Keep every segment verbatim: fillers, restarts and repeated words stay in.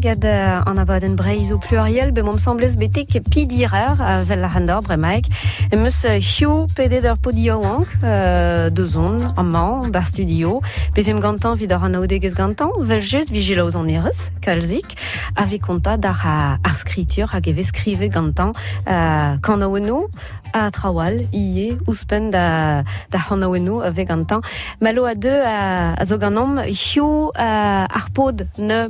gad an abadenn Breizh o pluriel, be mom semblez betek pidirer a vel ar c'hendor bremaik. Emeus hiu pedet ur podio ank, euh, dozon, amañ, bar studio, bevem gantan vid ar anaoudegez gantan, vel just vigilaoz an erez, kalzik, a ve konta d'ar ar skritur hag e vez skrive gantan euh, kanaouenno a trawal, ie, ouzhpenn da, da c'hanaouenno a vez gantan. Malo a deux a, a zo ganom, hiu uh, ar pod ne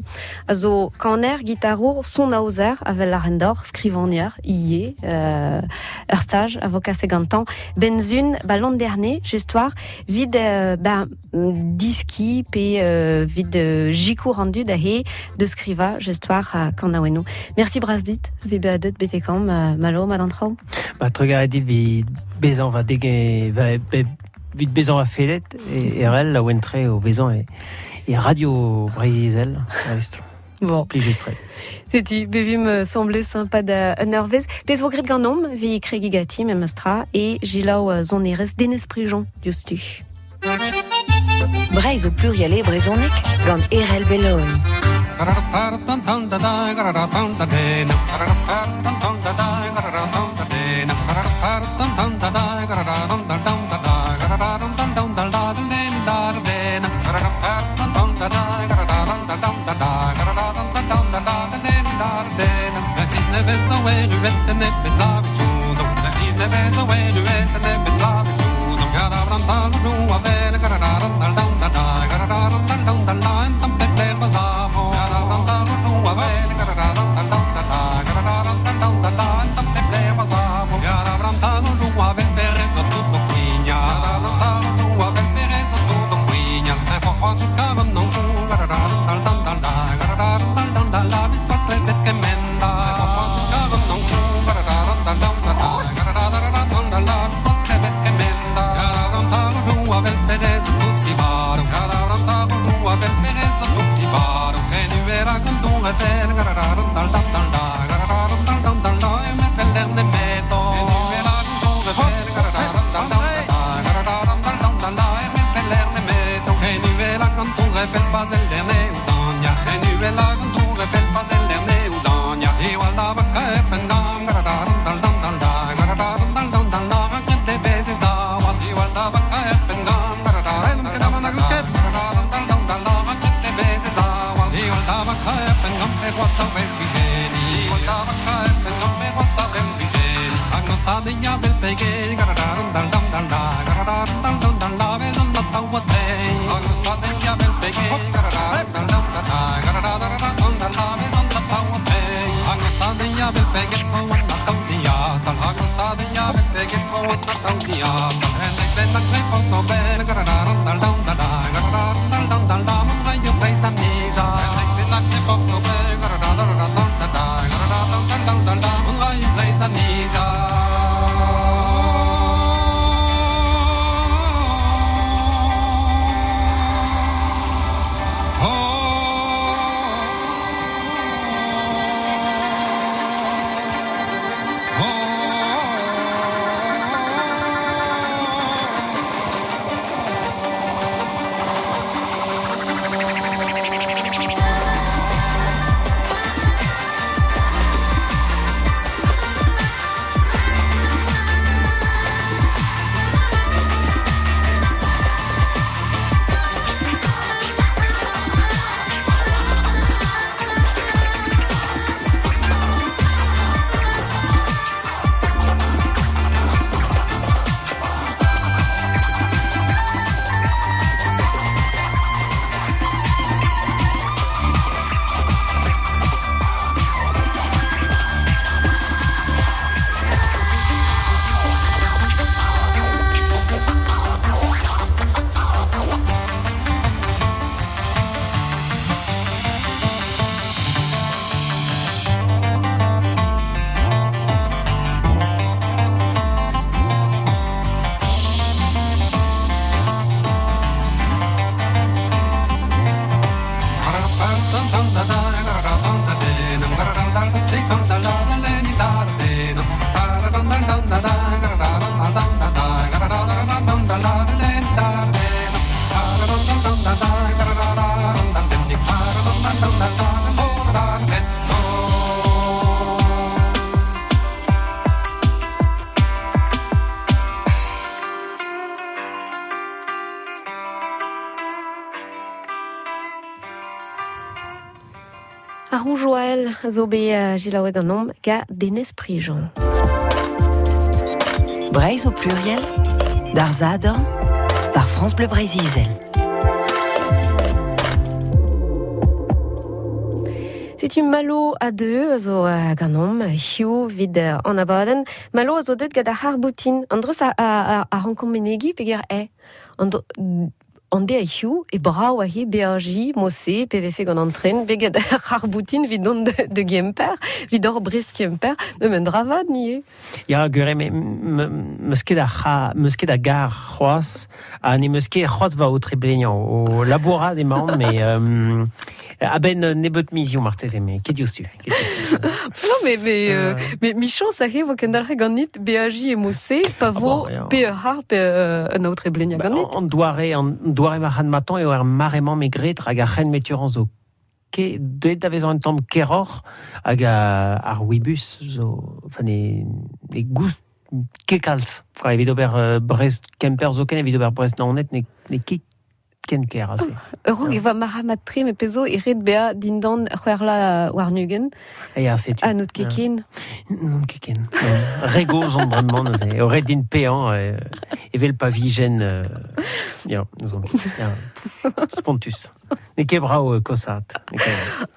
a zo kaner, gitarour, son aozer, a vel ar endor, skrivanier, ie, euh, ur stage a vo kase gantan. Benzun, ba l'an dernier, just war, vid euh, ba, diski pe euh, vid euh, jikou rendu da he de skriva, just war, uh, kanaouenno. Merci brasdit, vi be a deut betekam, uh, malo, madan trao. Ba trugaret dit vi bezan va dege, va, be, vid bezan va fedet e, e rel la wentre o bezan e, e radio Breizh-Izel. Bon. Plijustre. Setu, bevim semblait sympa da un eurvez. Pez vo gret ganom, vi kregi gati memestra, e jilaou zonerez Denez Prigent, diouzhtu. Breizh o pluriel e brezhoneg gant Erel Belloni. Avel zo be uh, jilaoueg an om ga Denez Prijon. Breizh au pluriel, d'ar Zadorn, par France Bleu Breizh-Izel. Setu Malo a deux zo uh, ganom hiu vid uh, an abadenn. Malo a zo deut gant ar c'harboutin. An dreus a, a, a, a rankomp menegi peger e. An An de a hiu e brao a he beaji mose P V F gant an tren beget ar c'harboutin vid don de, de Gemper vid ur Brest Kemper ne men dravad nie. Ya gure me meus ket a c'ha meus ket a gar c'hoazh ha ne meus ket c'hoazh va o treblegnañ o labourat emaon mais euh, a-benn nebeut mizioù marteze mais ket diouzhtu. Non mais mais euh, mais michon ça vo kendalc'he ganit beaji e mose pa vo pe ur c'har pe un aotre blegnañ ganit. An doare an doare marc'had matañ eo ar maremañ me gret hag ar c'hen meturan zo ke deuet da vezañ un tamm keroc'h hag ar Ouibus zo enfin ne ne goust ket kalz. Enfin, evit ober uh, Brest Kemper zo ken evit ober Brest Naoned ne ne ket ken ker ase. Ur e va marc'had tre me pezo e ret bea dindan c'hwerla warnugen. Ya, setu. Ha n'out ket ken. N'on ket ken. Re gozh on bremañ neuze. Eo ret din peañ evel pa vijen ya, nous on. Ya, spontus. Ne ket brav kosat.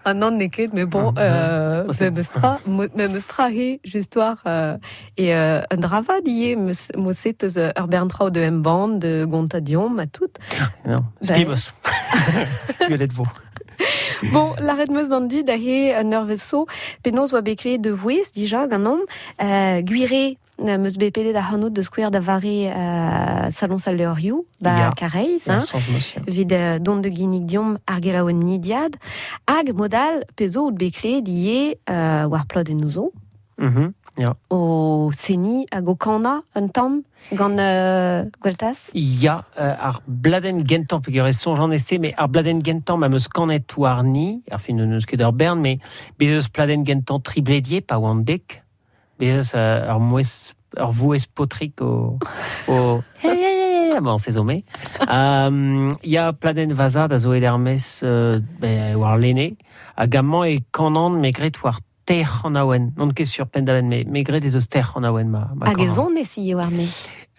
Ah non, ne ket, mais bon, euh, memes tra, memes tra he, histoire euh, et euh, un dravad ie, meus eus ur bern traoù de embann, de gontadion, ma tout. Non, spibos. Guelet vo. Bon, l'arrêt meus d'an dud a he un ur penaos oa bet klevet de vouez, dija, ganom, euh, gwire meus bet pedet ar c'hanout de skouer da vare euh, salon sal leurioù, ba Kareiz, hein, vid euh, dont de ginnig diom ar gelaouen nidiad, hag modal pezo out bet klevet ie euh, war plod en nouzo. Mm-hmm, ya. O seni hag o kana un tamm gant euh, Gweltas? Ya, euh, ar bladenn gentañ peogwir e soñjan ese, mais ar bladenn gentañ ma meus kanet warni, ar fin n'eus ket ur bern, mais bet eus pladenn gentañ tribledie pa oan dek, bet eus euh, ur mouez, ur vouez potrik o... o bon, c'est zo me. Um, ya pladenn vazad a zo edermez euh, be, war lene, hag amañ e kanan me gret war ter an aouen. Non ket sur pendaven, me, me gret ez eus ter an aouen ma, ma Hag e zon ez eo war me?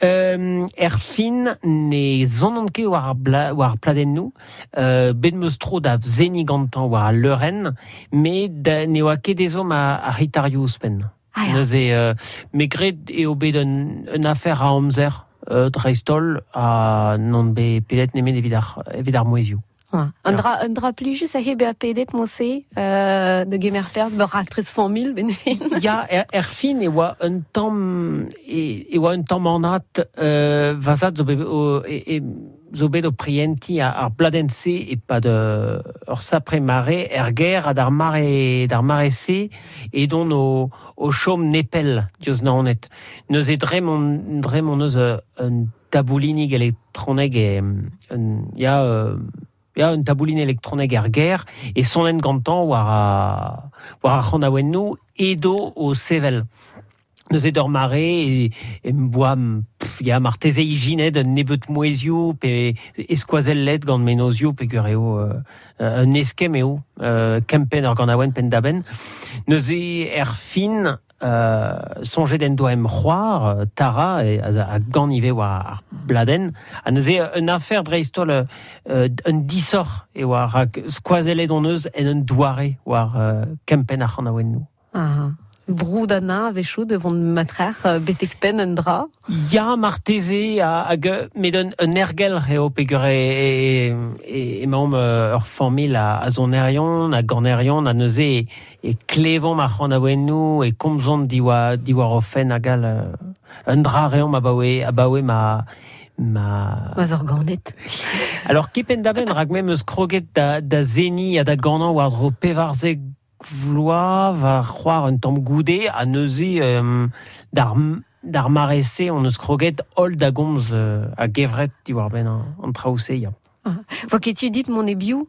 Euh, er fin ne zonan ket war ar, bla, war ar pladennoù, euh, bet meus tro da zeni gantañ war al leurenn, me da, ne oa ket ezo ma ar gitarioù ouzhpenn. Ah, ya. Neuze, euh, me gret eo bet un, un afer a amzer, euh, dreist-holl, ha non bet pedet nemet evit ar, evit ar mouezioù. Ouais. Un dra, un dra plijus a he bezañ pedet mose euh, de gemer perzh ur raktres familh ben fin. Ya, er, er fin e oa un tamm e, e oa un tamm anat euh, vazad zo bet o, e, e, zo bet o prienti ar, ar bladenn-se e pad euh, ur sapre mare er ger ha d'ar mare d'ar mare-se edon o, o chom nepell diouzh Naoned. Neuze dre mon dre mon eus un taboulinig elektroneg e un ya euh, ya un tabouline elektronek er ger e sonen gantañ war a, war ar c'hanaouennoù edo o sevel. Neuze d'ur mare e, e m'boa pff, ya marteze ijinet un nebeut mouezioù pe eskoazel let gant menozioù pe gur eo euh, un eskemm eo euh, kempenn ur ganaouenn penn da benn. Neuze er fin euh, soñjet en doa em c'hoar Tara e, a, a gant ivez war ar bladenn ha neuze un afer dreist-holl euh, un disoc'h eo war rak skoazellet hon eus en un doare war euh, kempenn ar c'hanaouennoù. Ah. Broud an a-wechoù de vont matrer betek penn un dra. Ya, marteze, hag met un, un ergel eo peogwir e, e, emaomp ur familh a, a sonerion, a ganerion, a neuze e, e klevomp ar c'hanaouennoù, e komzont diwar, diwar o fenn hag all un dra reomp abaoe, abaoe ma... ma... Ma zorganet. Alors, kepenn da benn, rak me meus kroget da, da zeni ha da ganañ war-dro pevarzek vloaz va c'hoar un tamm goude ha neuze euh, d'ar, d'ar mare-se on eus kroget holl da gomz euh, a gevret diwar-benn an, an traoù-se ya. Ah. Vo ket tu dit mon e biou?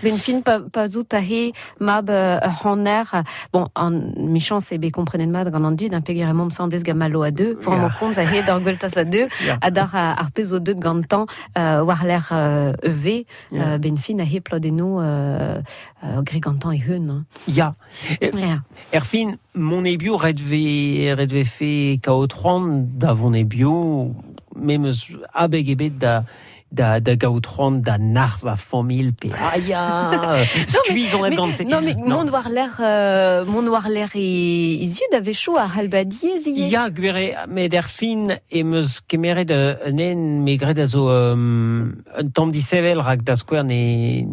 Ben fin pa, pa zout a he mab euh, ur c'hanner, bon, an michans e be komprenet mat gant an dud, un peger emomp semblez gant malo a deux, for yeah. komz a he d'ar gweltas a deux, yeah. a d'ar ar pez o deut gantan euh, war l'air euh, E V, yeah. euh, ben fin a he plodenno euh, euh, gre gantan e hun. Hein. Ya. Yeah. Er fin, mon ebio ret ve, ret ve fe kaout c'hoant da vont ebio, memes abeg ebet da da, da gaout c'hoant da nar va familh pe ah ya, skuizh on gant se. Non, mais mont war l'air euh, mont war l'air e, e zud a vecho ar c'hell diez ivez. Ya, gwere, met er fin em eus kemeret un en me gred a zo um, un tamm disevel rak da skouer ne,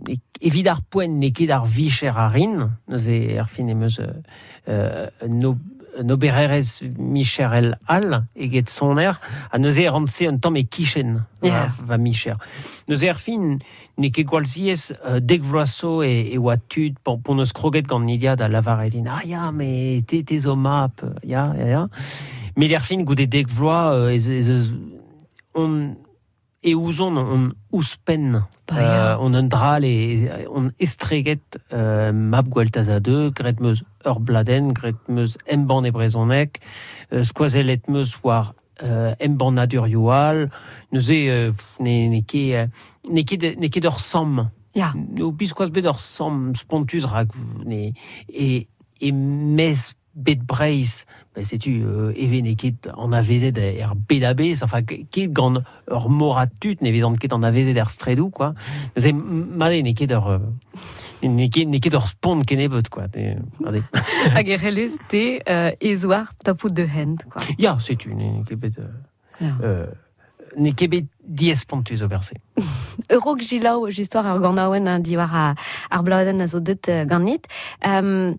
ne evit ar poent ne ket ar vicher a rin, neuze er fin em eus euh, no un obererez micherel all eget soner, ha neuze e rantse un tamm e kichen yeah. va, va micher. Neuze er fin, ne ket gwall ziez euh, dek vloaz zo e, e oa tud, pon, pon eus kroget gant Nidia da lavaret din, ah ya, me te, te zo map, ya, ya, ya. Met er fin, goude dek vloaz, euh, ez, ez, ez, on, e ouzon on ouzhpenn bah, euh, on un dral e on estreget euh, mab gweltaz a deux, gret meus ur bladen, gret meus embann e brezhoneg, euh, skoazellet meus war euh, embannadurioù all, neuze euh, ne, ne ket, ne ket, ne ket ur samm. Ya. No biskoazh bet ur samm spontuz rak ne, e, e mez bet Breizh, ben setu euh, eve ne ket an avezet er bedabez, enfin ket gant ur morat tud ne vezant ket an avezet er stredou, quoi. Neuze made ne ket ur ne ket, ne ket ur spont kennebeut, quoi. Made. Hag e relez te euh, ez war tapout de hent, quoi. Ya, setu, ne ket bet... Euh, Ya. euh, ne ket bet diez spontuz ober se. Eurok gilaou, justoar ar ganaouen hein, diwar ar, ar bladenn a zo deut ganit. Um,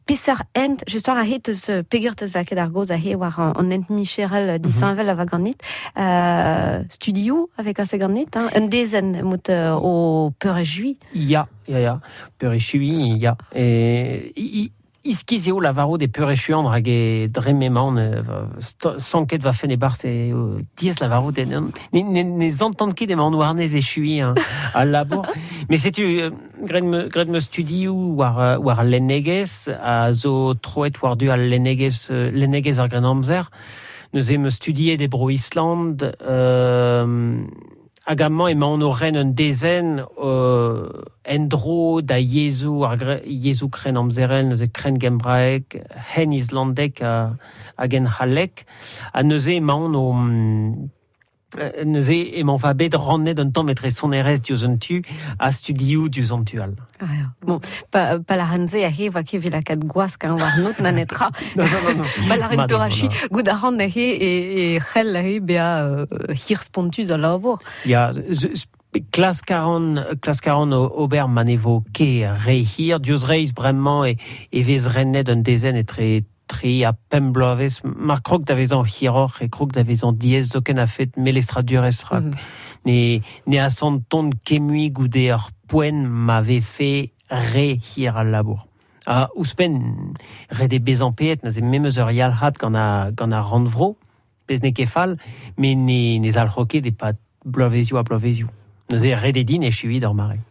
Peseurt hent, justoar a he teus pegur teus lakaet ar goz a he war an, an hent micherel disheñvel mm -hmm. a va ganit. Euh, studio avec ase ganit, hein, un dezen mout euh, o peurechui. Ya, ya, ya. Peurechui, ya. E, i, iskiz eo lavaro de peurechuan hag e dre m'emaon sanket va fen e barz e diez lavaro de ne, ne, ne zantant ket emaon warnez echui hein, al labour. Mais setu gret me, gret me studioù war, war lennegez a zo troet war du al lennegez, lennegez ar gren amzer. Neuze me studiet e bro Island, euh, hag amañ emaon o ren un dezen euh, endro da yezhoù ar yezhoù kren amzerel, neuze kren gembraek, hen islandek ha, hag en c'hallek, ha neuze emaon o neuze emaon va bet rannet un tamm etre sonerezh diouzh un tu ha studioù diouzh an tu all. Ah, ya. Bon, pa, pa la renze a he va ket evit lakaat gwask hein, war not na netra. Non, non, non, non. Pa la ren Made, peurachui, voilà. gout a ran a he e, e c'hell a he bea euh, hir spontuz a labour. Ya, z, klask a ran, klask a ran ober ma ne vo ket re hir, diouzh reizh bremañ e, e vez rennet un dezenn etre tri ha pemp bloavezh, mar krog da vezañ hiroc'h e krog da vezañ diaes zoken a fet melestradurezh rak. Mm. Ne, ne asantont ket mui goude ur poent ma vefe re hir al labour. Ha ouzhpenn ret eo bezañ paeet, neuze memes ur yalc'had gant a, gant ar rannvro, pezh n'eo ket fall, met ne, ne zalc'ho ket e-pad bloavezioù ha bloavezioù. Neuze ret eo din echuiñ d'ur mare.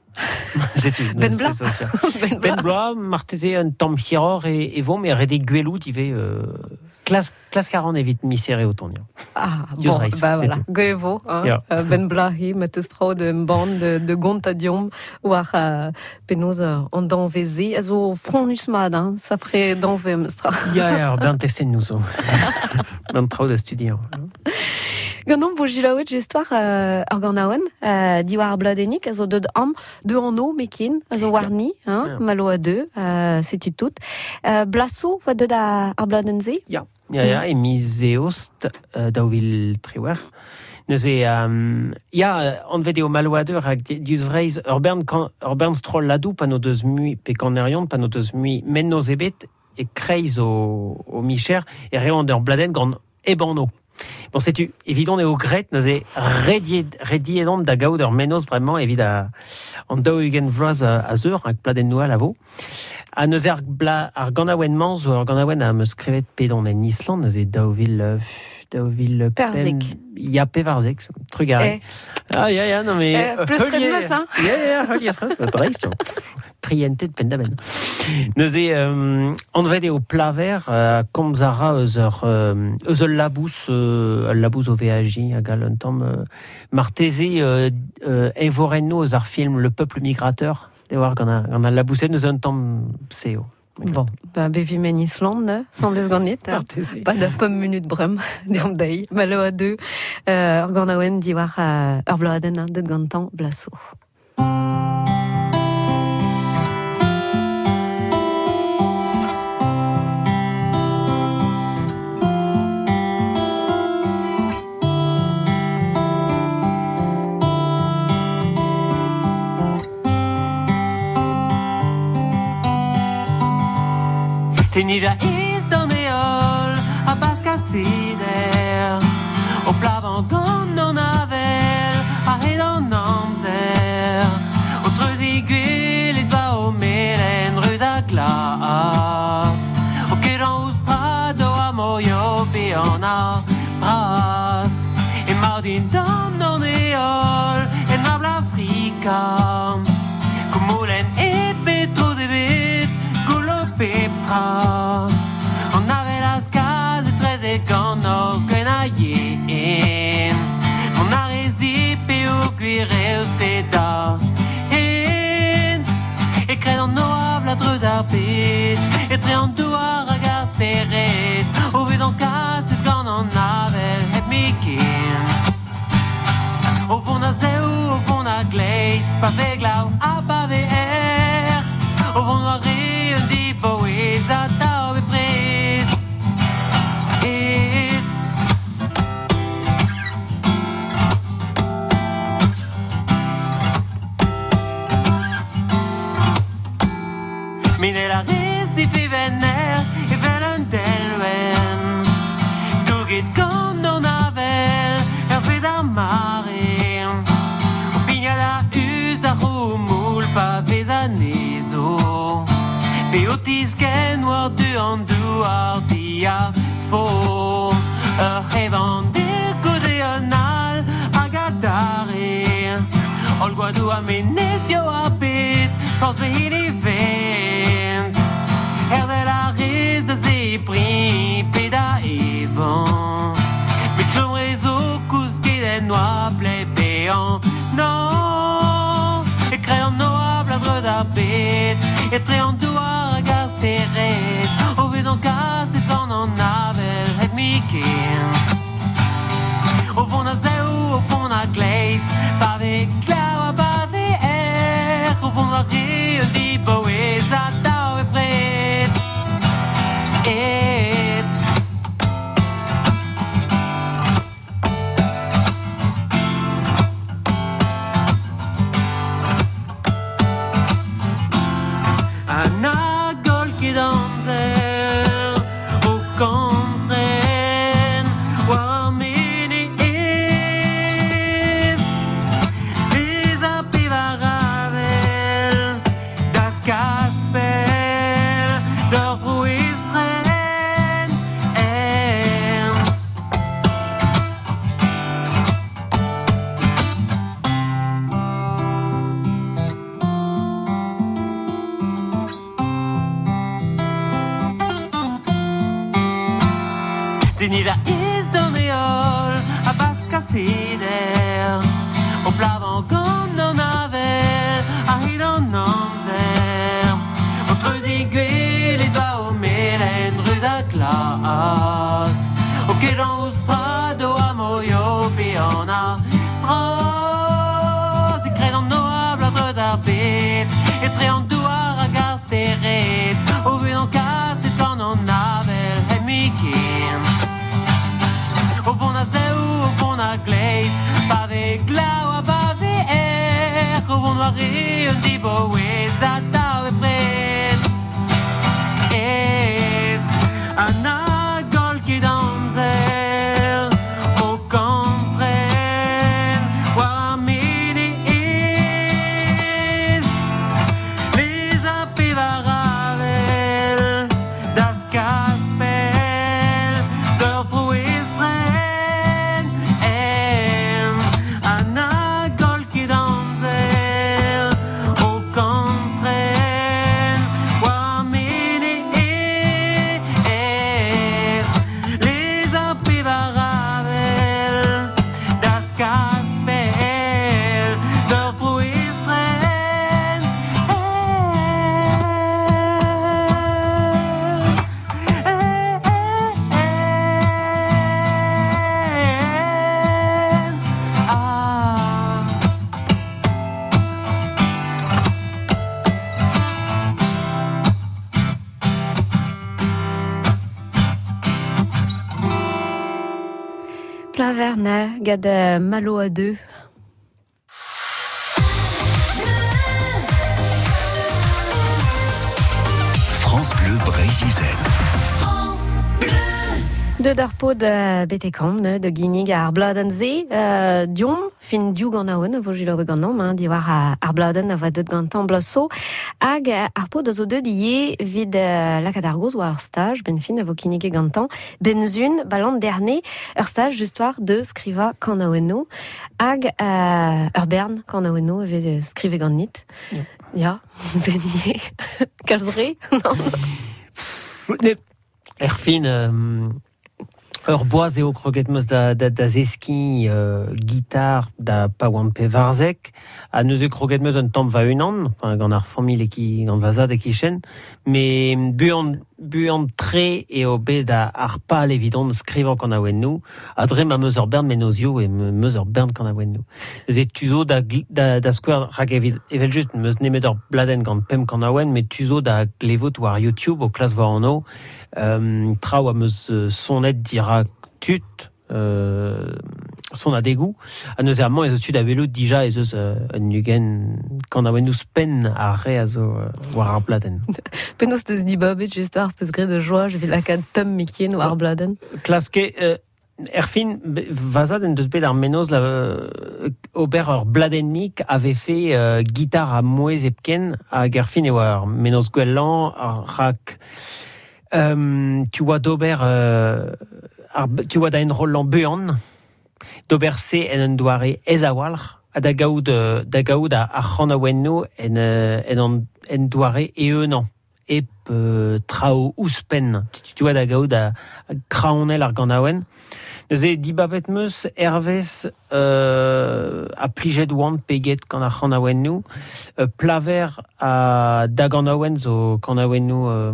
Setu, Ben neuze, bla. c'est sûr. Ben Ben bla. bloaz, marteze un tamm hiroc'h e, e vo, met ret eo gwelout ivez euh, klas, klask a ran evit misere o tont. Ah, Diouzh bon, reizh, bah voilà. setu. Gwell e vo, hein. Ya. Euh, ben bla he, ma teus tro de embann de, de gont a diomp war euh, penaos euh, an danveze a zo fronnus mat, hein, sapre danve am eus tra. Ya, ya, ur bern testenn nous zo. Bern traoù da studiañ. Ganomp bo gilaouet justoar euh, ur ganaouenn, euh, diwar ar bladennig, a zo deut am, de an o mekin, a zo warni, hein, Ya. malo a deux, euh, setu tout. Euh, blaso voa deut ar, ar bladenn-se? Ya, ya, ya, e miz eost euh, daou vil triwec'h. Neuze, um, ya, anvet eo maloadeur hag diouzh reizh ur bern, kan, ur bern stroll ladou pa n'o deus mui, pe kanerion pa n'o deus mui mennoz ebet e kreiz o, o micher e reont ur bladenn gant ebano. Bon, setu, evidon eo gret, neuze rediet, rediet on da gaout ur mennoz bremañ evit a, an daou-ugent vloaz a, a zeur, hag pladenn noal a vo. Ha neuze ar, bla, ar ganaouenn-mañ zo ur ganaouenn am eus skrivet pedon en Island, neuze daou vil, euh, daou vil Perzek. Ya pevarzek, trugare. Eh. Ah, ya, ya, non, mais... Eh, pleus heulier- meus, hein. Ya, ya, heulier dreist, jo. Prientet penn-da-benn. Neuze, euh, anvet eo plaver, euh, komz a ra eus ur, euh, eus ul labous, euh, ul labous o veaji hag al un tamm, euh, marteze euh, euh, eñvorenno eus ar film Le Peuple Migrateur, de war gant a, gant al labousen eus un tamm seo. Bon, ben bevi men Islande, ne, semblez ganit. Hein. Marteze. Pas da pemp minut brem, deomp dezhi, malo a deux. Euh, ur ganaouenn diwar euh, ur bloadenn, hein, deut gantañ blaso. Tenija iz d'an eol a baskasider O plavan gant an avel a hed an amzer O treuzi gwelet va o melen ruz a glas O kejan ouz prado a moio pe an a bras E mar din d'an an eol en abl Afrika Koumoulen e betro de bet Goulo pep tra An avel az kaz e treze gant orz gwen a yen Mon arez di pe o gwir eo se da hen E kred an oabl a dreuz ar bet Etre an douar hag ar stered O vez an kaset gant an avel hep miken O vont a zeo, o vont a gleiz Pa ve glav ha pa ve er O vont war re un diboez a tav bepred Et Minel a rez difivenner evel un delwenn Douget gant an avel hervez ar mare O pignat a us ar c'houmoul pa vez anezo Pe o tisken war du an douar dia fo Ur c'hevan gode an al hag adare Ol gwadou a menezio a bet Forz ve hini vent Herzel a rez da zebri pe da evan Met chom rezo kousket en oabl e pe an Non E kre an oabl a dreud ar bet Etre an douar hag ar stered O vez an kaset gant an avel hep miken O vont a zeo, o vont a gleiz Pa ve glav ha pa ve er O vont war re un diboez a tav bepred Et An agol ket amzer o kantren war ar menez Bez a pevar avel das kaspel d'ur vro estren en. Tenir a iz d'an eol a baskasider O plavan gant an avel a hed an amzer O treuzi gwelet va o melen ruz a glas O kejan ouz prado a moio pe an a bras E kred an oabl a dreuz ar bet Etre an douar hag ar stered O vez an kaset gant an avel hep miken O vont a zeo, o vont a gleiz Pa ve glav ha pa ve er O vont war re un diboez a tav bepred Et an agol ket amzer O kantren war ar menez Les a pevar avel das kaspel d'ur vro estren Plaverne gad Malo a deux. France Bleu Breizh-Izel. France Bleu. De d'ar pod betekam, ne, de ginnig ar bladen ze, euh, diom, fin diou gant aoun, vo jilaoue gant nom, hein, diwar ar bladen a va deut gantan blaso, hag ar pod a zo deut ie vid uh, lakaat ar goz war ur stage, ben fin a vo kinnige gantan, benzun, balan derne, ur stage just war de skriva kan aouenno, hag uh, ur bern kan aouenno evit skrive gant nit. Ja. Ja, zenie. Kalzre, non. Ne, er fin, euh, ur boaz eo kroget meus da, da, da zeski euh, gitar da pa oan pe varzek, ha neuze kroget meus un tamm va unan, enfin, gant ar familh e ki, gant va zad e kichen, me buan, buan tre eo bet da ar pal evidon skrivañ kan aouennoù, ha dre ma meus ur bern menozioù e meus ur bern kan aouennoù. Neuze tu zo da, da, da skouer rak evel, evel just meus nemet ur bladenn gant pemp kan aouen, met tu zo da glevot war YouTube o klas war anno, euh, traoù a meus sonet dirak tut, euh, son a degou, ha neuze amañ ez eus tud a welout dija ez eus euh, un ugen kan aouennoù spenn ar re a zo euh, war ar bladenn. Penaos teus dibabet just war peus graet de joa, je vais lakaat pemp mikien war ar bladenn. Klaske, euh, er fin, vazad en deus bet ar menoz la, euh, ober ur bladennik avait fait euh, gitar a mouez epken hag er fin eo ar menoz gwellañ ar rak euh, tu oa d'ober euh, ar, tu oa da enrollan buan d'ober se en un doare ez a-walc'h ha da gaout, da gaout ar c'hanaouennoù en, en, en, en doare eeunañ ep euh, trao ouzhpenn. Tu, tu oa da gaout a, a kraonel ar ganaouenn. Neuze dibabet meus hervez euh, a plijet oan peget gant ar c'hanaouennoù, euh, plaver a da ganaouenn zo kanaouennoù euh,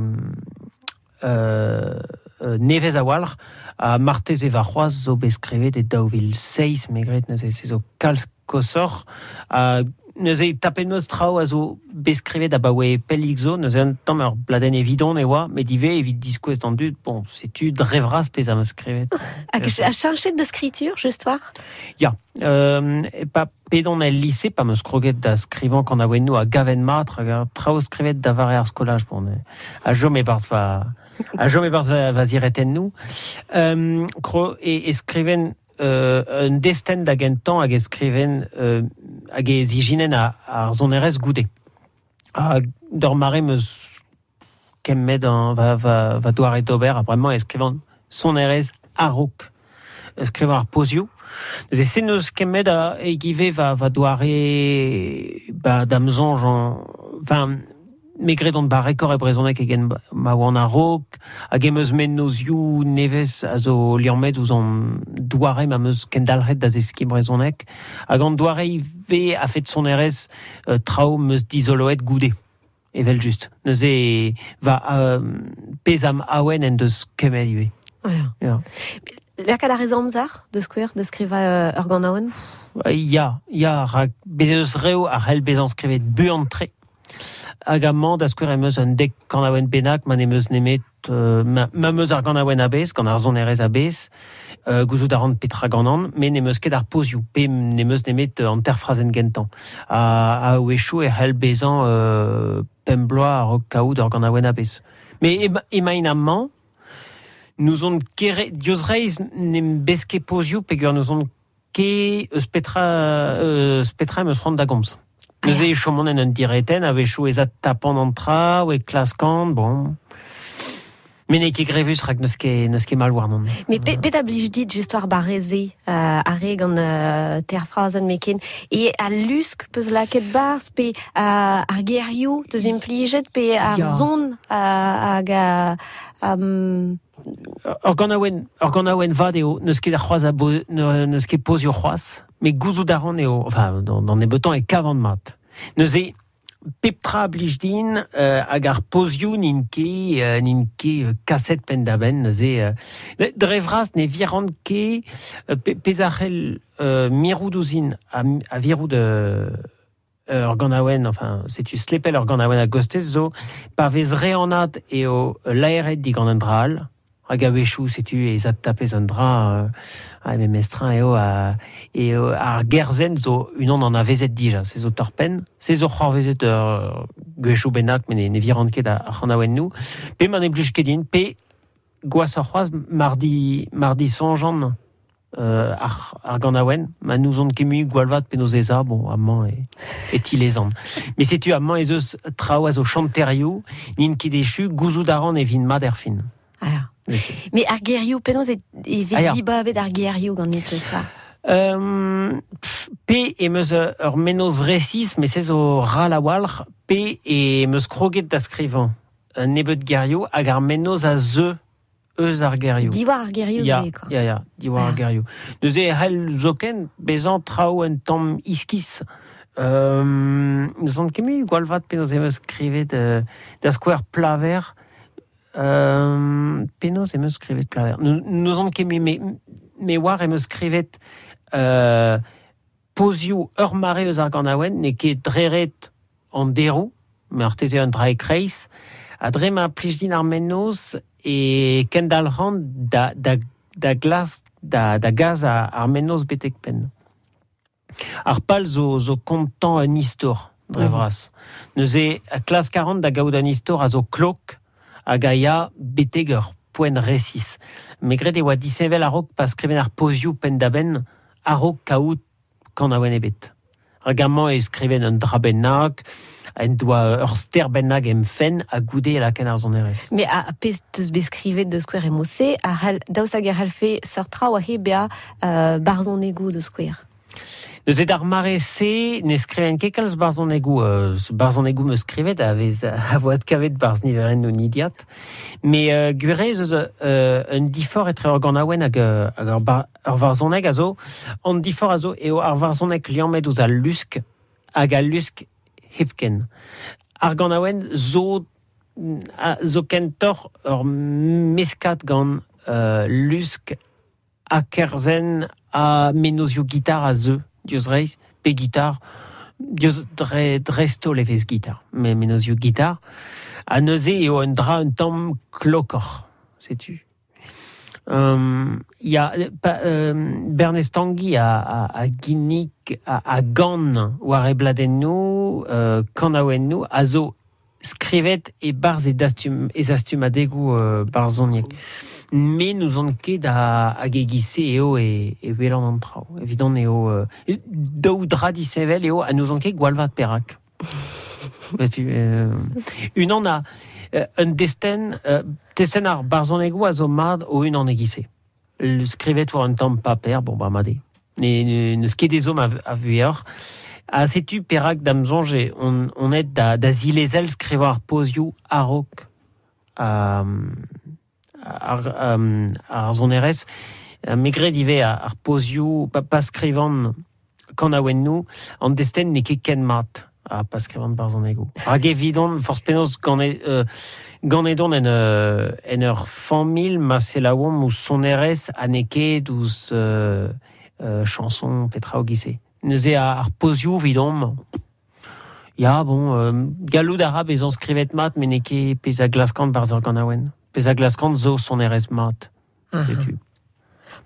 euh, euh, nevez a-walc'h, a marteze va c'hoazh zo bet skrivet e daou vil seizh, me gret, neuze se zo kalz kosoc'h, a neuze tapet meus traoù a zo bet skrivet abaoe pellik zo, neuze un tamm ur bladenn evidon e oa, met ivez evit diskouez d'an dud, bon, setu dre vras pezh am eus skrivet. Hag a cheñchet de skritur, just war? Ya, euh, pa pedon el lycée, pa meus kroget da skrivañ kan aouennoù a gaven mat, hag ar traoù skrivet da vare ar skolaj, bon, a jom e-barzh va a jom e-barzh va, va ziretennoù. Euh, kro, e, e skriven euh, un destenn da gentañ hag e skriven euh, hag e zijinen a, ar sonerezh goude. Ha d'ur mare meus kemmet an, va, va, va doare d'ober, ha bremañ e skrivan sonerezh a-raok skrivañ ar pozioù. Neuze se neus kemmet a e give va, va doare ba, da'm soñj an, enfin, me gred on barrekor e brezhoneg egen ma oan a-raok, hag em eus mennozioù nevez a zo liammet ouzh an doare ma meus kendalc'het da zeskiñ brezhoneg, hag an doare ivez a fet sonerezh euh, traoù meus dizoloet goude, evel just. Neuze va euh, pezh am awen en deus kemmet ivez. Ja. Ja. Lakaat ar ez amzer de skouer, de skrivañ euh, ur ganaouenn? Ya, ya, rak bet eus reoù a c'hell bezañ skrivet buan-tre. Hag amañ da skouer em eus un dek kanaouenn bennak, ma n'em eus nemet euh, ma, ma meus ar ganaouenn a-bezh, gant ar sonerezh a-bezh, euh, gouzout a ran petra ganan, met n'em eus ket ar pozioù, pe n'em eus nemet an terfrazenn gentañ. Ha, a wechoù e c'hell bezañ euh, pemp bloaz a-raok kaout ur ganaouenn a-bezh. Met emaint amañ, nous on kere, diouzh reizh n'em bez ket pozioù peogwir nous on ket eus petra, eus petra em eus c'hoant da gomz. Neuze e chomont en un diretenn, a-wechoù ez a tapan an traoù, e klaskan, bon. Met n'eo ket grevus rak n'eus ket, n'eus ket mal warnon. Met pe, pet a blij dit just war barreze, euh, ar re gant euh, ter frazenn meken, e a lusk peus lakaet barzh, pe euh, ar gerioù teus implijet, pe ar Ya. zon hag a... Um... Ur ganaouenn, ur ganaouenn vat eo, n'eus ket ar c'hoazh a bo, n'eus ket pozioù c'hoazh, met gouzout a ran eo, enfin, d'an nebeutañ e kavan mat. Neuze, pep tra a blij din, euh, hag ar pozioù n'int ket, euh, n'int ket euh, kaset penn-da-benn, neuze, euh, dre vras ne viran ket, euh, pe, pezh a c'hell euh, mirout ouzhin a, a virout euh, ur ganaouenn, enfin, setu slepel ur ganaouenn a gostez zo, pa vez re anat eo laeret digant un dra all, Hag a-wechoù, setu e zat tapez an dra, euh, a me mestrin eo, a, eo ar gerzen zo unan an avezet dija, se zo torpen, se zo c'hoarvezet ur gwechou bennak, met ne, ne virant ket ar c'hanaouen nou, pe ma ne blij ket din, pe gwasoc'h c'hoazh mardi, mardi sonjan euh, ar, ar ganaouen, ma n'ouzon ket mui gwalvat penaos ez a, bon, amañ e, e tilezan. Mais setu amañ ez eus traoù a zo chanterioù, n'int ket echu, gouzout a ran e vin mat er fin. Ah. Mais ar gerioù, penaos e, e vet ah, ya. dibabet ar gerioù gant et ça? Euh, pe em eus ur menoz resis, mais se zo ral a-walc'h, pe em eus kroget da skrivañ un nebeud gerioù hag ar menoz a zeu eus ar gerioù. Diwar ar gerioù ya, ze, quoi. Ya, ya, diwar ar gerioù. Neuze e c'hell zoken bezañ traoù un tamm iskis. Euh, n'eus ket mui gwalvat penaos em eus skrivet euh, da skouer plaver. Euh, penaos em eus skrivet plaver. N'eus ket mui, me, me war em eus skrivet euh, pozioù ur mare eus ar ganaouen, n'eo ket dreret an deroù, me ar teze un dra e kreiz, ha dre ma plij din ar menoz e kendalc'han da, da, da glas, da, da gaz ar, ar menoz betek penn. Ar pal zo, zo kontañ un istor, dre vras. Neuze klask a ran da gaout un istor a zo klok hag a ya betek ur poent resis. Me gred e oa disheñvel a-raok pa skriven ar pozioù penn-da-benn a-raok kaout kanaouen ebet. Hag amañ e skriven un dra bennak, en doa ur ster bennak em fenn ha goude e laken ar sonerezh. Mais a pezh teus bet skrivet de skouer e mose, a c'hall daoust hag a c'hallfe seurt traoù a he bezañ euh, barzhonegoù de skouer. Neuze d'ar mare-se ne skriven ket kalz barzhonegoù, euh, barzhonegoù meus skrivet a vez a vo adkavet barzh niverenn o nidiat. Mais euh, gwir eo eus euh, un difor etre ur ganaouenn hag, hag ur, bar, ur varzhoneg a zo. An difor a zo eo ar varzhoneg liammet ouzh al lusk hag al lusk hepken. Ar ganaouenn zo, a, zo kentoc'h ur meskat gant euh, lusk ha kerzen ha menozioù gitar a zeu, diouzh reizh, pe gitar, diouzh dre, dreist-holl e vez gitar, me menozioù gitar, ha neuze eo un dra un tamm klokoc'h, setu. Um, ya, pa, um, Bernez Tangi a, a, a ginnig, a, a gan war e bladennoù, uh, kanaouennoù, a zo skrivet e barzh e dastum, e zastumadegoù uh, barzhoniek. Me n'ouzon ket a, hag e-giz-se eo e, e welan an traoù. Evidon eo euh, daou dra disheñvel eo ha n'ouzon ket gwalvat perak. Setu, euh, unan a euh, un destenn, euh, testenn ar barzhonegoù a zo mat o unan e-giz-se. Le skrivet war un tamm paper, bon ba mat eo. Ne, ne, n'eus ket ezhomm a, a vuioc'h. Ha setu perak da'm soñj eo on, on aet da, da zilezel skrivañ ar pozioù a-raok um, ar, um, ar sonerezh. Me gred ivez ar pozioù, pa, pa skrivan kanaouennoù, an destenn n'eo ket ken mat ha pa skrivan barzhonegoù. Hag evidon, forzh penaos gant euh, gant edon en, euh, en ur familh ma selaouomp ouzh sonerezh ha n'eo ket ouzh euh, euh, chanson petra o giz-se. Neuze ar pozioù evidomp, ya bon, euh, gallout a ra bezañ skrivet mat, met n'eo ket pezh a glaskan barzh ur ganaouenn. Pezh a glaskan zo sonerezh mat. Setu.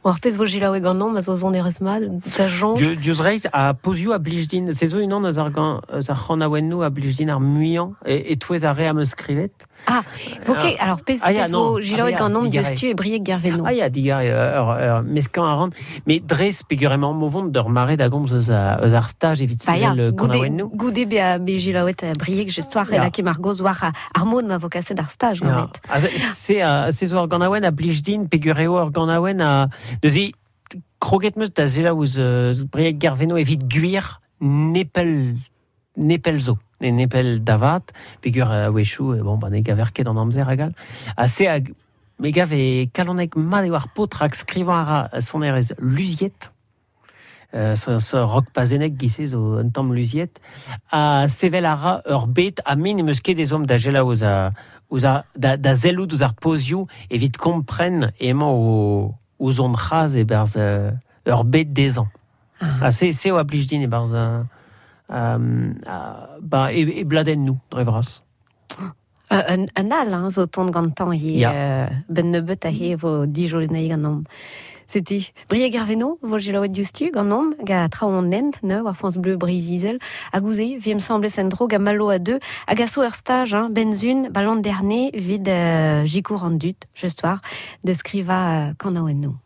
Bon, ar pezh vo selaouet ganeomp a zo sonerezh mat, da soñj. Diouzh reizh, a pozioù a blij din, se zo unan eus ar gan, eus ar c'hanaouennoù a blij din ar muiañ, e, e-touez ar re am eus skrivet. Ah, vo ket, alors pezh, ah, ya, pezh vo non. selaouet Ah, ya, ganeomp digare. diouzhtu e Brieg Gerveno. Ah ya, digare, ur, ur meskan a ran, mais dres peogwir emañ o vont d'ur mare da gomz eus, a, eus ar staj evit Ba ya, sevel goude, kanaouennoù. goude bezañ bet selaouet Brieg just war, Ya. e lakae mar goz war ar mod ma vo kaset ar staj Ya. ganet. Ah, se, se, uh, se zo ur ganaouenn a blij din peogwir eo ur ganaouenn a... Neuze, kroget 'm eus da selaou ouzh euh, Brieg Gerveno evit gwir nepell, nepell zo. Ne nepell davat, peogwir a-wechoù, bon, ba, ne gaver ket an amzer hag all. Ha se hag, me gav e kalonek mat eo ar paotr hag skrivañ a ra sonerezh luziet. Euh, so, so rock pazenek giz-se zo un tamm luziet. Ha sevel a ra ur bet ha me n'em eus ket ezhomm da selaou ouzh a, ouzh a, da, da sellout ouzh ar pozioù evit kompren emañ o, ouzh hon c'haz e-barzh euh, ur bet dezhañ. Ah. Ha se, se eo a blij din e-barzh euh, euh, ba, e, e bladennoù, dre vras. Uh, un, un al, hein, zo tont gantañ he Ya. euh, ben nebeut a he vo dijolenei ganeomp. Setu, Brieg Guerveno, vo gelaouet diouzhtu ganeomp, ga traoñ an hent, ne, war France Bleu Breizh-Izel, hag ouze, viem semblez en dro ga malo a deux, hag a so ur stage, hein, benzun, ba l'an dernier, vid euh, jikour an dut, just war, de skriva euh, kanaouenno.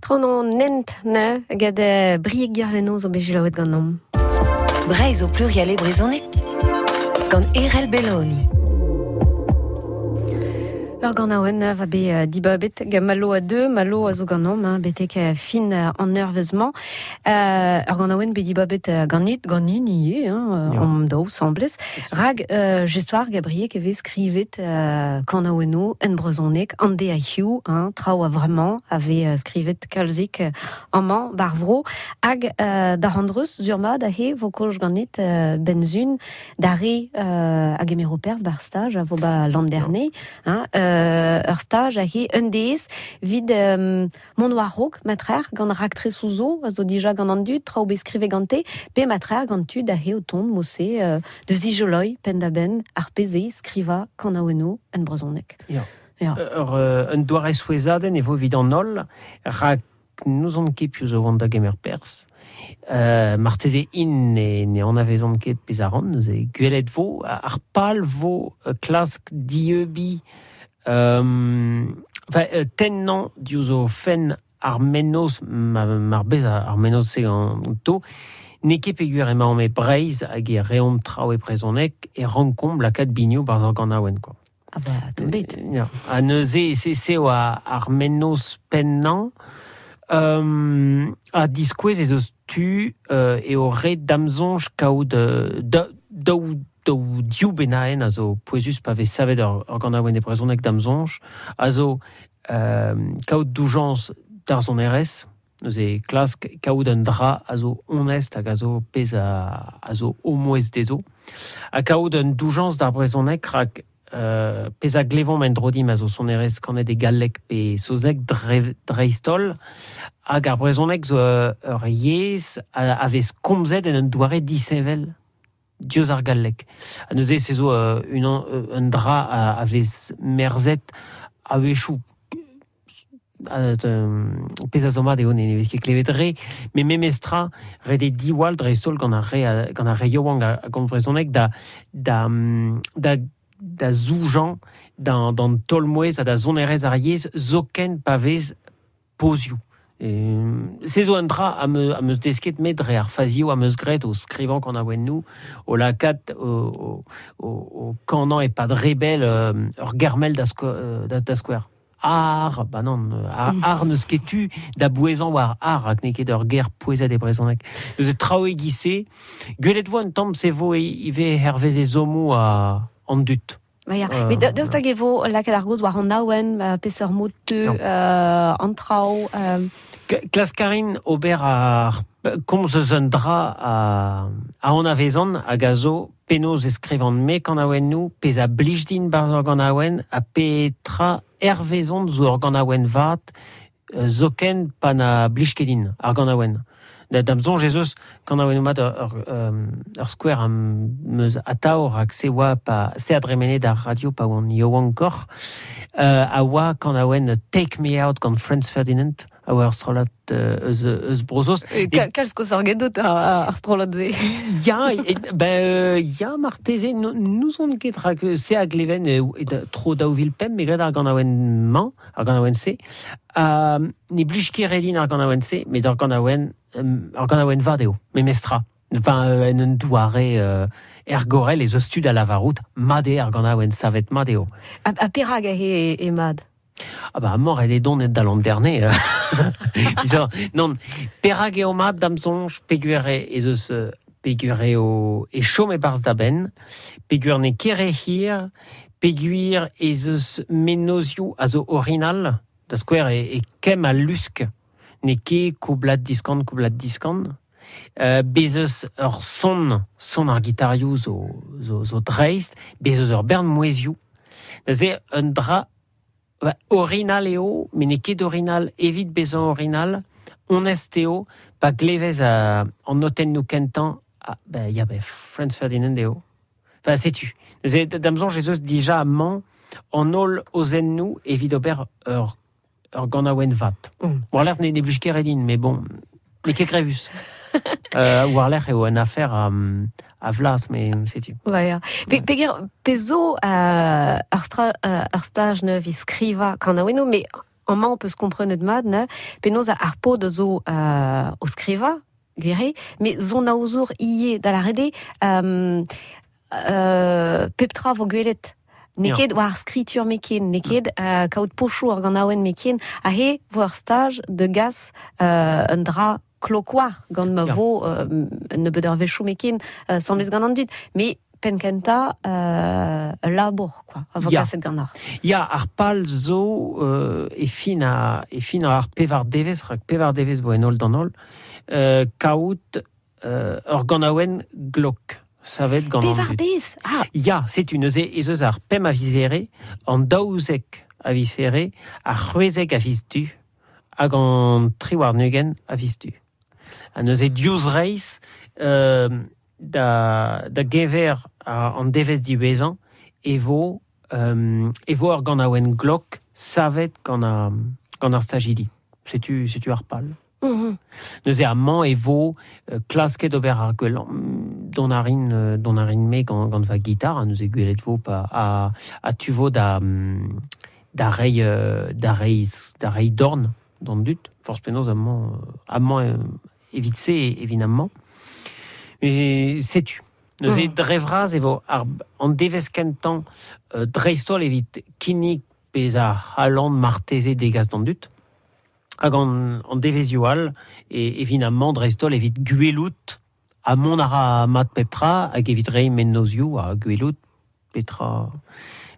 Tron an nent ne gad Brieg Guerveno zo bet gelaouet ganeomp. Breizh o plurial e brezhoneg gant Erel Belloni. Ur ganaouenn va be dibabet gant Malo a deux, Malo a zo ganom, hein, betek fin an eurvezh-mañ. Euh, ur ganaouenn be dibabet ganit, ganin ivez, hein, ja. Om daou semblez. Rag, euh, jesoar Gabriel e vez skrivet euh, kanaouennoù en brezhoneg, an de a hiu, hein, traoù a vraiment ave euh, skrivet kalzik amañ bar vro, hag euh, da randreus zurma da he vo kolj ganit euh, benzun, da re euh, hag emero perz bar stage a vo ba l'an dernier, hein, euh, ur stage a he un dez vid euh, mont war raok matrer gant raktre souzo a zo dija gant an dud traoù bet skrive gante pe matrer gant tud a he o tont mose euh, de zijoloi pen da ben ar peze skriva kanaouennoù en brezhoneg. Ya. Ya. Ur un doare souezhadenn e vo evit an holl rak n'ouzon ket piv zo vont da gemer perzh. Euh, marteze in ne, ne anavezont ket pezh a ran, neuze gwelet vo ar pal vo klask dieubi Euh, enfin, euh, tennañ diouzh o fenn ar mennozh, ma, mar bez ar mennozh se ganto, n'eo ket peogwir emaomp e Breizh hag e reomp traoù e brezhoneg e rankomp lakaat binioù barzh ar ganaouenn, quoi. Ah bah, tombet. Euh, ha neuze, se se eo ar mennozh pennañ, euh, ha diskouez ez eus tu euh, eo ret damsoñj kaout euh, daou daou div bennaenn a zo pouezus pa vez savet ur, ur ganaouenn e brezhoneg damsoñj, a zo euh, kaout doujañs d'ar sonerezh, neuze klask kaout un dra a zo onest hag a zo pezh a, a zo omouez dezho, ha kaout un doujañs d'ar brezhoneg rak euh, pezh a glevomp en drodim a zo sonerezh kanet e galleg pe saozneg dre, dreist-holl, hag ar brezhoneg zo ur yezh a, a vez komzet en un doare disheñvel diouzh ar galleg. Ha neuze se zo euh, unan un dra a, a vez merzet a-wechoù pezh a zo mat eo ne vez ket klevet re, met memestra ret eo diwall dreist-holl gant ar re gant ar re yaouank a gomz brezhoneg da da da da zoujañ d'an d'an taol-mouezh ha da sonerezh ar yezh zoken pa vez pozioù. Se zo un dra am eus desket met dre ar fazioù am eus graet o skrivañ kanaouennoù, o lakaat o, o, o, o kanañ e-pad rebel ur germel da, sko, da, da skouer. Ar, ba non, ar, ar n'eus ket tu da bouezañ war ar hag n'eo ket ur ger pouezet e brezhoneg. Neuze traoù e-giz-se, gwelet vo un tamm se vo ivez hervez ezhommoù a an dud. Ba ya, euh, met daoust hag e vo lakaat ar gaoz war an awen, peseurt mod teu, euh, an traoù... Euh... Klask a rin ober ar komz eus un dra a, a anavezan hag a zo penaos e skrivan me kanaouennoù, pezh a blij din barzh ur ganaouenn, ha petra hervezon zo ur ganaouenn vat, zoken pa na blij ket din ar ganaouenn. Da da'm soñj ez eus kanaouennoù mat ur, ur, ur skouer am eus atav rak se oa pa se a dremene d'ar radio pa oan yaouankoc'h, euh, a oa kanaouenn Take Me Out gant Franz Ferdinand, a oa ur strollad eus, eus Brosos. E kalz kozhoc'h gedot ar strollad-se. Ya, ben, ya marteze, n'ouzon ket rak se a gleven e, e, tro daou vil pemp, me gred ar ganaouenn-mañ, ar ganaouenn-se. Uh, ne blij ket re din ar ganaouenn-se, met ar ganaouenn, ar ganaouenn vat eo, memestra. Enfin, euh, en un doare euh, ergorel ez eus tud a lavarout, mat eo ar ganaouenn savet mat eo. Ha, ha perak eo e mat? Ah bah mort elle est donet da l'an dernier. Disons, non, perak eo mat da'm soñj peogwir ez eus peogwir eo e chom e-barzh da benn, peogwir n'eo ket re hir, peogwir ez eus mennozioù a zo orinal, da skouer e, e kemm al lusk, n'eo ket koublad diskan, koublad diskan. Euh, bez eus ur son, son ar gitarioù zo, zo, zo dreist, bez eus ur bern mouezioù. Neuze un dra ba, orinal eo, met n'eo ket orinal evit bezañ orinal, onest eo, pa glevez uh, an notennoù kentañ, ah, ba, ya, ba, Franz Ferdinand eo. Enfin, setu. Neuze, da'm soñj ez eus dija amañ an holl ozennoù evit ober ur, ur ganaouenn vat. Mm. War-lerc'h ne, ne blij ket re din, mais bon, n'eo ket grevus. euh, war-lerc'h eo un affaire a, a vlas, mais setu. Ouais, ya. Pe, peger, pe zo euh, ur, stra, euh, ur staj neuv i skriva kanaouennoù, mais amañ on peus komprenet mat, ne, penaos ar paotr zo euh, o skriva, gwir eo, met zon aozour ivez da lâret eo, euh, euh, pep tra vo gwelet. N'eo ket war ar skritur meken, n'eo ket uh, kaout pochoù ar ganaouenn meken, a he vo ur staj de gas uh, un dra klokoar gant ma vo uh, nebeud ur vechoù meken uh, semblez gant an dud. Mais penkenta euh, labour, quoi, a vo kaset gant ar. Ya, ar pal zo euh, e fin a, e fin ar pevar devez, rak pevar devez vo en ol d'an ol, euh, kaout euh, ur ganaouenn glok. Savet gant an dud. Ah. Ya, setu neuze ez eus ar pemp a vizere, an daouzek a vizere, ar c'hwezek a viz du, hag an tri warn-ugent a viz du. Ha neuze diouzh reizh euh, da, da gever a, an devez diwezhañ e vo, euh, e vo ur ganaouenn glok savet gant, a, gant ar stajidi. Setu, setu ar pal. Mm-hmm. Neuze amañ e vo euh, klasket ober ar gwellañ don a rin, don a rin me gant, gant va gitar, ha neuze gwelet vo pa a, a tu vo da, da rei, da rei, da rei dorn d'an dud, forzh penaos amañ, amañ evit se evit amañ. Mais setu. Neuze mm. dre vras e vo ar, an devez kentañ euh, dreist-holl evit kinnig pezh a c'hallan marteze degas d'an dud. Hag an, an devezioù all, e, evit amañ dreist-holl evit gwelout a mont a ra mat pep tra, hag evit reiñ mennozioù ha gwelout petra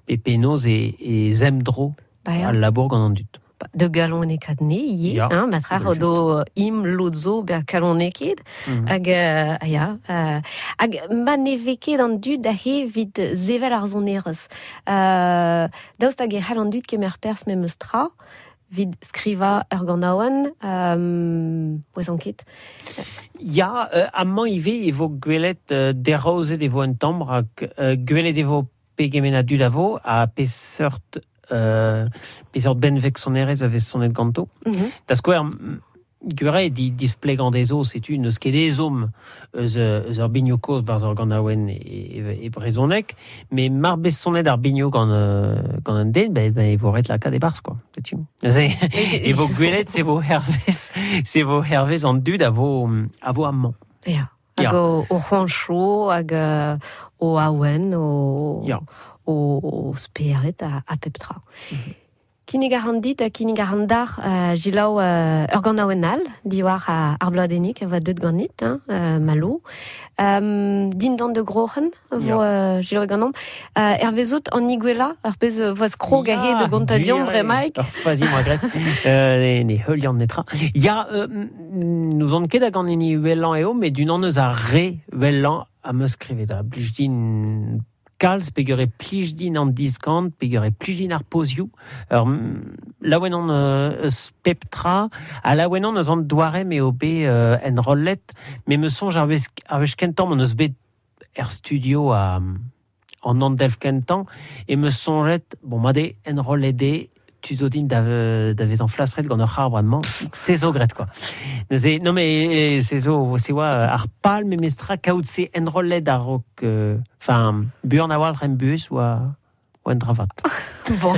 pe penaos e, e zemdro al labour gant an dud. De galonekaat ne, ivez, ya, hein, matra do im lod zo ber kaloneket, mm. hag, euh, ya, euh, hag ma ne vez ket an dud da he vit zevel ar sonerezh. Euh, daoust hag e c'hall an dud kemer perzh memes tra, vid skriva ur ganaouenn, euh, oez ket. Ya, euh, amañ ivez e vo gwelet euh, deraozet e vo un tamm, rak euh, gwelet e vo pegement a dud a vo, ha peseurt euh, peseurt benveg sonerezh a vez sonet ganto. Mm-hmm. Da skouer, gwere di displegañ dezho, setu n'eus ket ezhomm eus, eus ur binioù kozh barzh ur ganaouenn e, e, e brezhoneg, mais mar bez sonet ar binioù gant, euh, gant un den, ben, ben e vo ret lakaat e-barzh, quoi. Setu. Neuze, e vo gwelet, se vo hervez, se vo hervez an dud a vo, a vo amañ. Ya. Hag o, o c'hoanchoù, hag euh, o awen, o, ya. o, o spered a, a pep tra. Mm-hmm. Kinnig a ran dit ha kinnig a ran d'ar uh, jilaou uh, ur ganaouenn all, diwar uh, ar bladennig a voa deut ganit, hein, uh, Malo. Um, dindan de groc'hen vo uh, jilaou ganomp. Uh, Hervezout an igwella, ar pezh voaz krog a he de gontadion bremaik. Ur fazi moa gret, euh, ne, ne heulian netra. Ya, euh, nous on ket hag an hini wellañ eo, met d'unan eus ar re wellañ a meus skrivet da blij din kalz, peogwir e plij din an diskant, peogwir e plij din ar pozioù. Ur laouen on eus pep tra, ha laouen on eus an doare m'eo bet euh, enrollet, me me soñj ar wech, ar wech kentañ m'on eus bet er studio a, an an delf kentañ, e me soñjet, bon, ma de enrollet eo, tu zo din da, da vezañ flastret gant ur c'har bremañ, se zo gret, quoi. Neuze, non mais se zo, se oa ar pal memestra kaout se enrollet a-raok, enfin, buan a-walc'h em buhez oa, oa un dravat. Bon.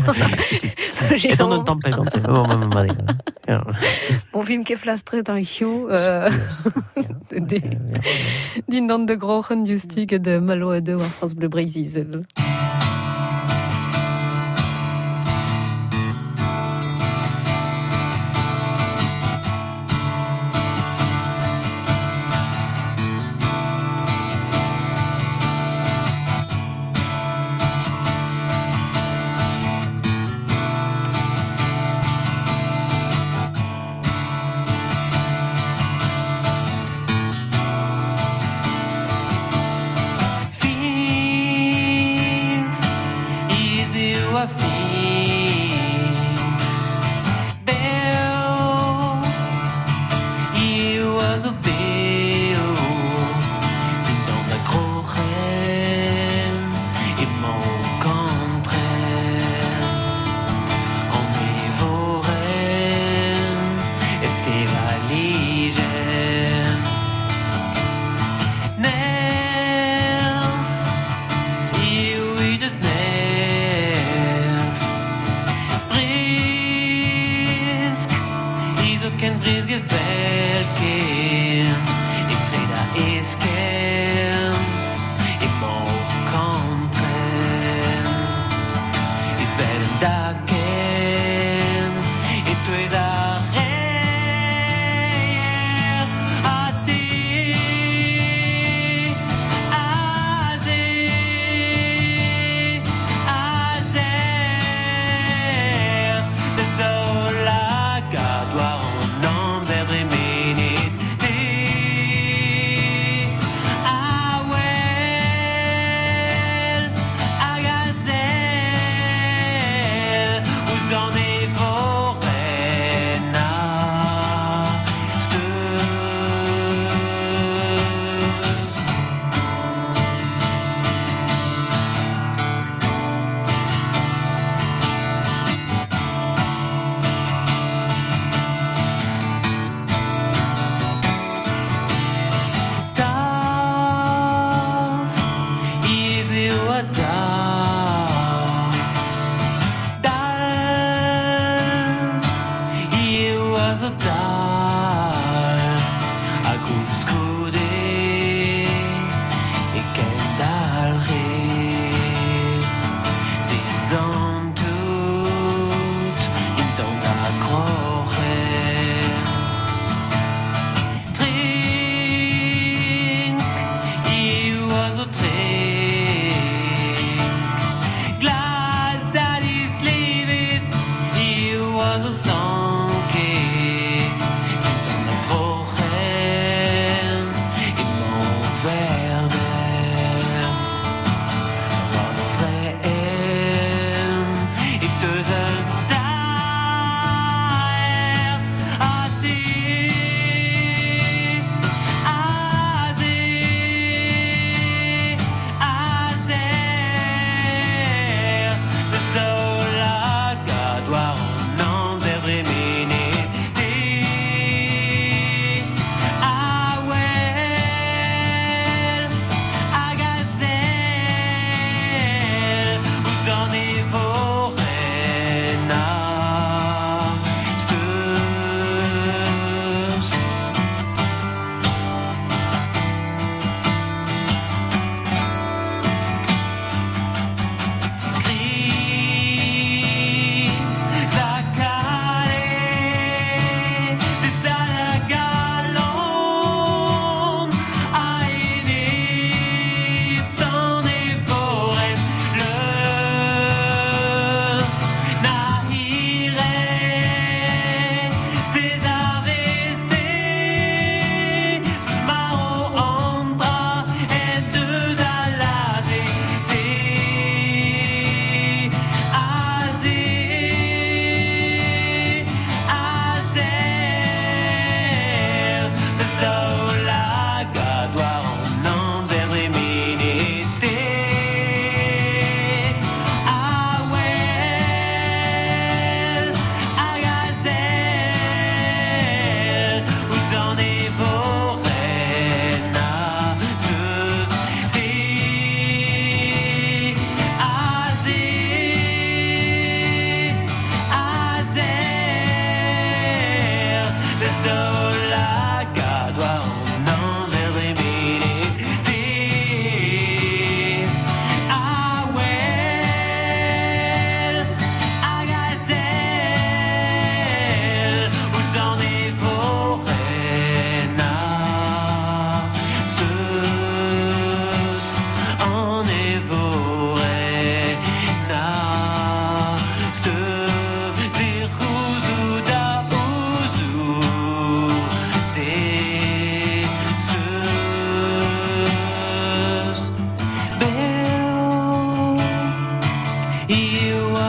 Et on un tamm pe gant se. Bon, bon, bon, bon. Bon, vim ket flastret an hiziv, euh, dindan de groc'hen diouzhtu gant Malo a deu ar France Bleu Breizh-Izel. Fin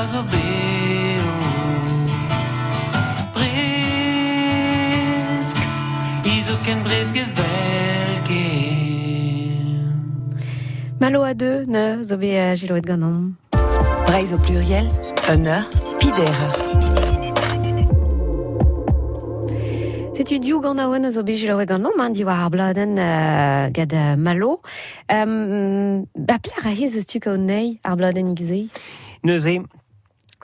a zo beo Bresk Izo ken bresk evel ken Malo a deux, ne zo bet jiloet ganom. Breizh au pluriel, un eur, pider. Setu diou gant aouen a zo bet jiloet ganom, hein, diwar ar bladenn uh, gad uh, Malo. Um, ba pler a hez eus tu kaout nei ar bladenn igze? Neuze,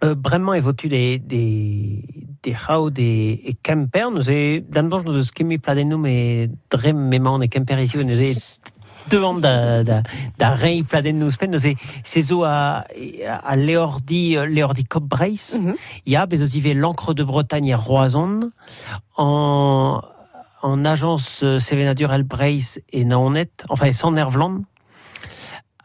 euh, bremañ e votu des, des, des c'hao de e Kemper, neuze, damdonj no deus kemmi pladennoù me dre m'emañ e Kemper ici, neuze, devant da, da, da rei pladennoù spen, neuze, se zo a, a leordi, leordi Kop Breizh, mm -hmm. Ya, bez eus ivez l'encre de Bretagne e Roazhon, en, en agence Sevenadur El Breizh e Naoned, enfin e Sant-Ervlan,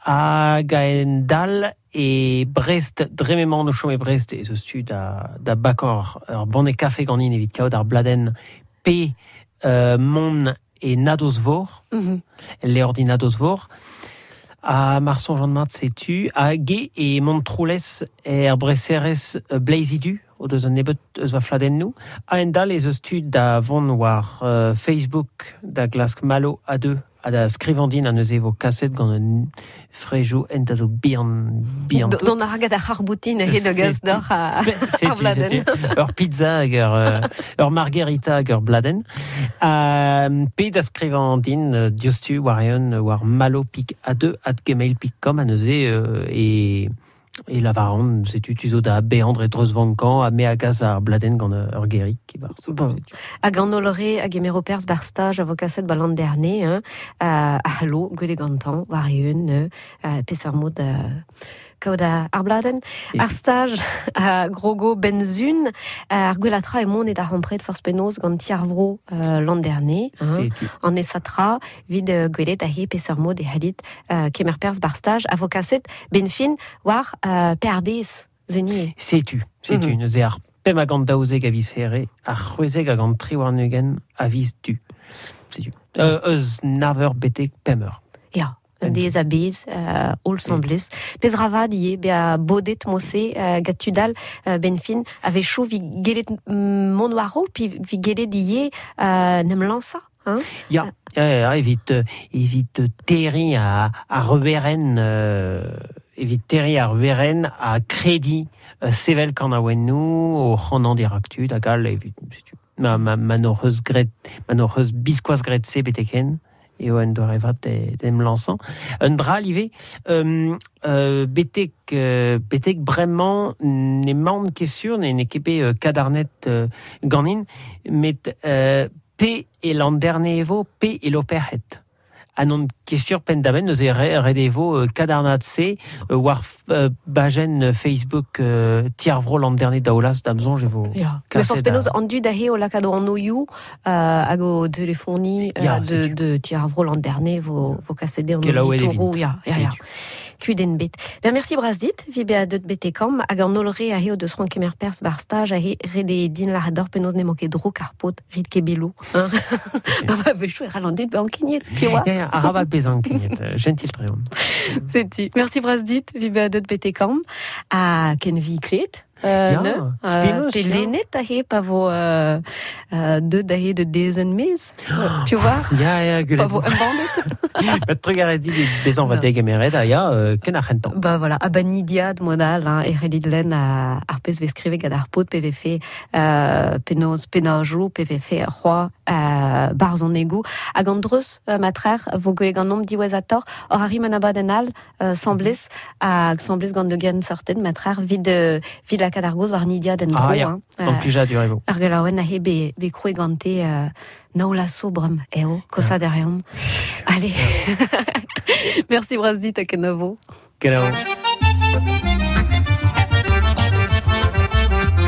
hag a en dal e Brest, dre m'emañ o chom e Brest, e eus tu da, da bakor ur banne kafe ganin evit kaout ar bladenn P euh, Mon e Nadozvor, mm -hmm. leordi Nadozvor, a Marson Jean de setu, a ge e Montroulez er Breserez Bleizidu, o deus an nebeut eus va fladennoù, a en dal ez eus tu da vont war euh, Facebook da glask Malo a deux, a da skrivandin a neuze vo kaset gant un frejou ent a zo bihan, bihan tout. Don ar hag ar c'harboutin he de gaz d'or a, ar bladenn. Ur pizza hag ur, ur margherita hag ur bladenn. Uh, pe da skrivandin diostu war eun war malo pik a deux at gmail pik com a neuze euh, e... E lavaran, setu tu zo da beandre dreuz vankan a me a gaz ar bladenn gant ur gerik. Bon. Hag an olore hag emero perz bar staj a vo kaset ba l'an dernier, hein, uh, a hallo, gwele gantan, war eun, uh, peseurt mod uh, kaout ar bladenn. Ar staj a grogo benzun, ar gwelatra e mont e da rampret forz penaos gant ti ar vro uh, l'an dernier, hein, an esatra, vid uh, gwelet a he peseurt mod e halit uh, kemer perz bar staj a vo kaset benfin war uh, P R D S, zenie. Setu, setu, mm -hmm. Neuze ar pemp a gant daouzek a viz here, ar c'hwezek a gant tri warn-ugent a viz du. Setu. Euh, eus nav eur betek pemp eur. Ya. Un dez a bez, euh, ol semblez. Pez ravad ie, be a bodet mose, euh, gat tudal, euh, benfin, ave chou vi gelet mont waro, pi vi gelet ie euh, nem lansa. Hein? Ya, ya, ya, evit, evit terri a, a reveren, euh, evit terri a reveren a kredi euh, sevel kan a wennou, o c'hanan diraktu, da gal, evit, setu, ma, ma, ma n'hoc'h eus gret, ma n'hoc'h eus biskoazh gret se beteken. Eo en doare vat d'em lançant. Un dra live, euh, euh, betek, euh, betek bremañ ne man ket sur, ne ne ket bet euh, kadarnet euh, ganin, met euh, pe e l'an dernier evo, pe e l'operhet. Anon ket sur pen da ben, neuze ret evo euh, kadarnat se, euh, war euh, bajen Facebook euh, tiarvro l'an dernier daolas damzonj evo. Ya. Mais forz penaos an dud a he o lakado an oioù euh, hag o telefoni euh, Ya, de, de tiarvro l'an dernier vo, vo kasede an ditoro. Ya, ya, ya. Kudenn bet. Ben merci brazdit, vi be a deut betekam, hag an olre a he o deus c'hoant kemer perz bar staj a he rede din lahador penaos ne manket dro ar pot, rit kebelou. Hein? Ba, vechou e ral an dud be ankeniet, pi oa. Ya, ya, arabat bezan ankeniet, gentil treon. Setu. Merci brazdit, vi be a deut betekam, a ken vi klet. Euh, ya, ne, euh, pe lennet a he pa vo euh, euh, deut a he de dezen mez, tu vois? Ya, ya, gulet. Pa vo embannet. Bat trugarez dit bezan va degemeret a ya, euh, ken ar c'hentan. Ba voilà, a ba nidiad modal, hein, e c'hellit lenn a, ar pezh vez skrivet gant ar paotr P V F, euh, penaos penajoù, P V F c'hoa, euh, barzhonegoù, hag an dreuz, euh, matrer, vo gwelet gant nomp diwezhator, hor arri man abadenn all, euh, semblez, hag semblez gant de gen sorten, matrer, vid, euh, vid la kad ar goz war nidiad en dro. Ah, ya, hein. an plijadur evo. Ar gelaouen a he be, be kroe gante euh, naola sobrem, eo, kosa derrion. Allez, merci brazdit a kenavo. Kenavo.